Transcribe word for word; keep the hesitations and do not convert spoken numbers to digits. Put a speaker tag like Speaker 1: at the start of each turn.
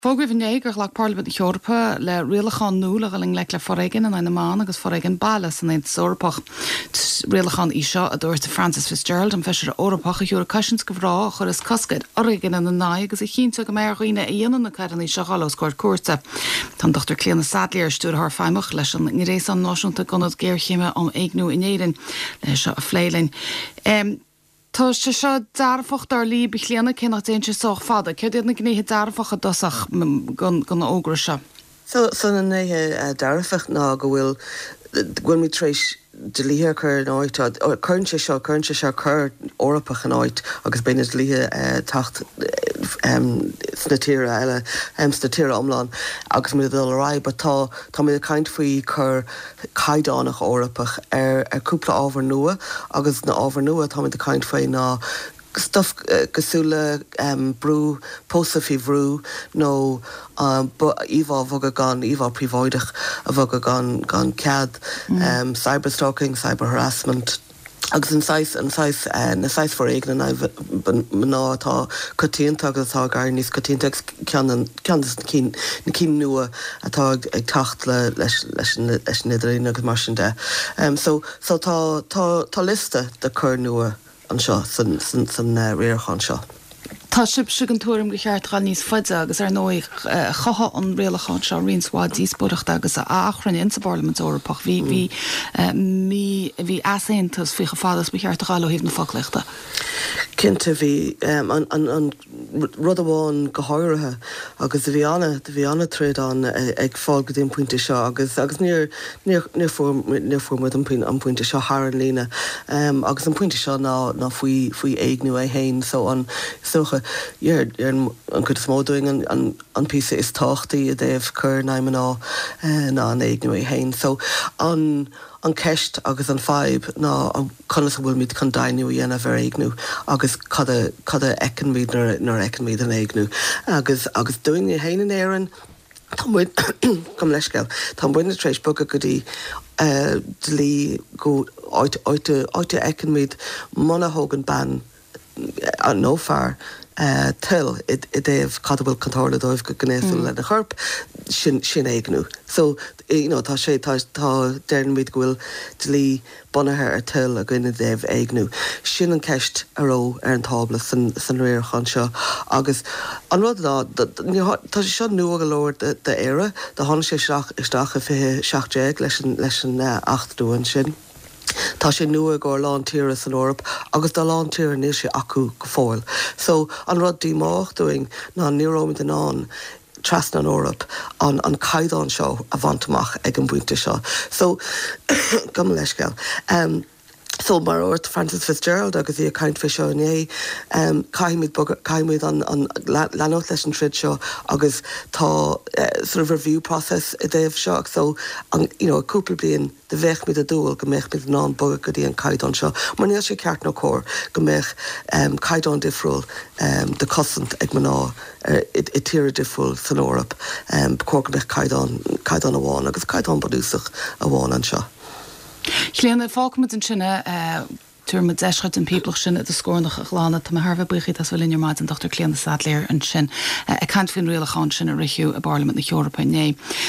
Speaker 1: Fógraíodh inné gur ghlac Parlaimint na hEorpa le rialachán nua le dhul i ngleic le foréigean in aghaidh na mban agus foréigean baile san Aontas Eorpach. Rialachán é seo a dúirt Frances Fitzgerald an feisire Eorpach a thabharfaidh cosaint do mhná a chuirfeas cosc ar fhoréigean ina n-aghaidh agus a chinnteodh go mbeidh ar dhaoine a dhéanann na coireanna seo dul os comhair cúirte. Tá an Dr Clíona Saidléar stiúrthóir feidhmeach leis an nGréasán Náisiúnta d'Ionaid Géarchéime um Éigniú in Éirinn le seo a phlé linn. Um, Tá sé seo dearfach dar libh a Chlíona cé nach dtéann sé sách fada, Céard iad na gnéithe dearfacha dosach den fhógra seo.
Speaker 2: So so na gnéithe uh, dearfach ná go bhfuil bhfuil muid tar éis dlíthe chur in áit cuireann sé seo cuireann sé seo cur Eorpach in áit agus beidh na dlíthe uh, teacht um, sna tíortha eile um, sna tíortha iomlán agus mu dul rá, but tá tá mé caint faoi chur caighdeánach Eorpach ar ar cúpla ábhar nua agus na ábhar nua tá mé caint faoi ná stuff uh, cosúil le um, brú pósadh faoi bhrú nó um, íomhá bhogadh gan íomhá príobháideach a bhogadh gan gan cead mm. um, cyberstalking, cyber harassment. agus an saghas an saghas uh, na saghas foréigean mná atá coitianta agus atá gar níos coitianta ceann cinn na cinn nua atá ag teacht le leis leis leis an idirlíon agus mar sin de. Um, so so tá tá tá liosta de chur nua anseo san san san uh, rialachán seo.
Speaker 1: Tá sibhse den tuairim gur cheart dul níos faide agus ar ndóigh chothaigh an rialachán seo roinnt mhaith díospóireachta agus achrainn insa bParlaimint Eorpach bhí bhí mí bhí easaontas faoi chomh fada is ba cheart a dhul ó thaobh na foclaíochta.
Speaker 2: Cinnte bhí um, an, an, an rud amháin go háirithe agus bhí an bhí an-troid ann ag fáil go dtí an pointe seo agus agus níor níor fuair muid an pointe seo thar an líne um, agus an pointe seo ná ná faoi faoi éigniú é féin so an socha an chuid is mó dúinn an, an, an píosa is tábhachtaí i dtaobh cur na mná uh, ná an éigniú é féin so an an ceist agus an fadhb ná conas a bhfuilmid chun deimhniú a dhéanamh ar éigniú agus cad cad a fheicimid nuair a fheicimid an éigniú agus agus dúinne féin in Éirinn Tá gom leiscéil Tá muidne tar éis bogadh go dtí uh, dlí go áit áit a fheicimid muna dtugann bean nó fear uh, toil i dtaobh cad a bhfuil chun tarlú dóibh go gnéasúil mm. lena chorp sin sin éigniú. So you know, tá sé tá tá deirimid go bhfuil dlí bunaithe ar toil againn i dtaobh éigniú. Sin an ceist a raibh ar an tábla san, san rialachán seo agus an rud ná tá sé seo nua go leor d'Éire, do tháinig sé isteach isteach i fiche seacht déag leis an leis an uh, acht nua sin. Tá sé nua go lán tíortha san Eoraip agus do lán tíortha níl sé acu go fóill. So an rud díomách dúinn ná ní raibh muid in ann trasna an Eoraip an an caighdeán seo a bhaint amach ag an bpointe seo. So gom leiscéil. Um, So mar a dúirt Frances Fitzgerald agus í ag caint faoi seo inné um, caithfimid caithfimid an, an leanacht leis an troid seo agus tá uh, sort of review process i dtaobh seo so an, you know, cúpla bliain de bheadh muid ag dúil go mbeadh muid in ann bogadh go dtí an caighdeán seo, mar níl sé ceart nó cóir go mbeadh um, caighdeán difriúil um, de cosaint ag mná uh, i, i tíortha difriúil san Eoraip um, cóir go mbeadh caighdeán caighdeán amháin agus caighdeán bunúsach amháin anseo.
Speaker 1: Clíona fágfaimid ansin tabharfaimid deis duit an píblach sin i do scornach a ghlanadh tá mé thar a bheith buíoch as bheith linn ar maidin Dr. Clíona Saidléar ansin ag caint faoin rialachán sin a ritheadh i bParlaimint na hEorpa inné.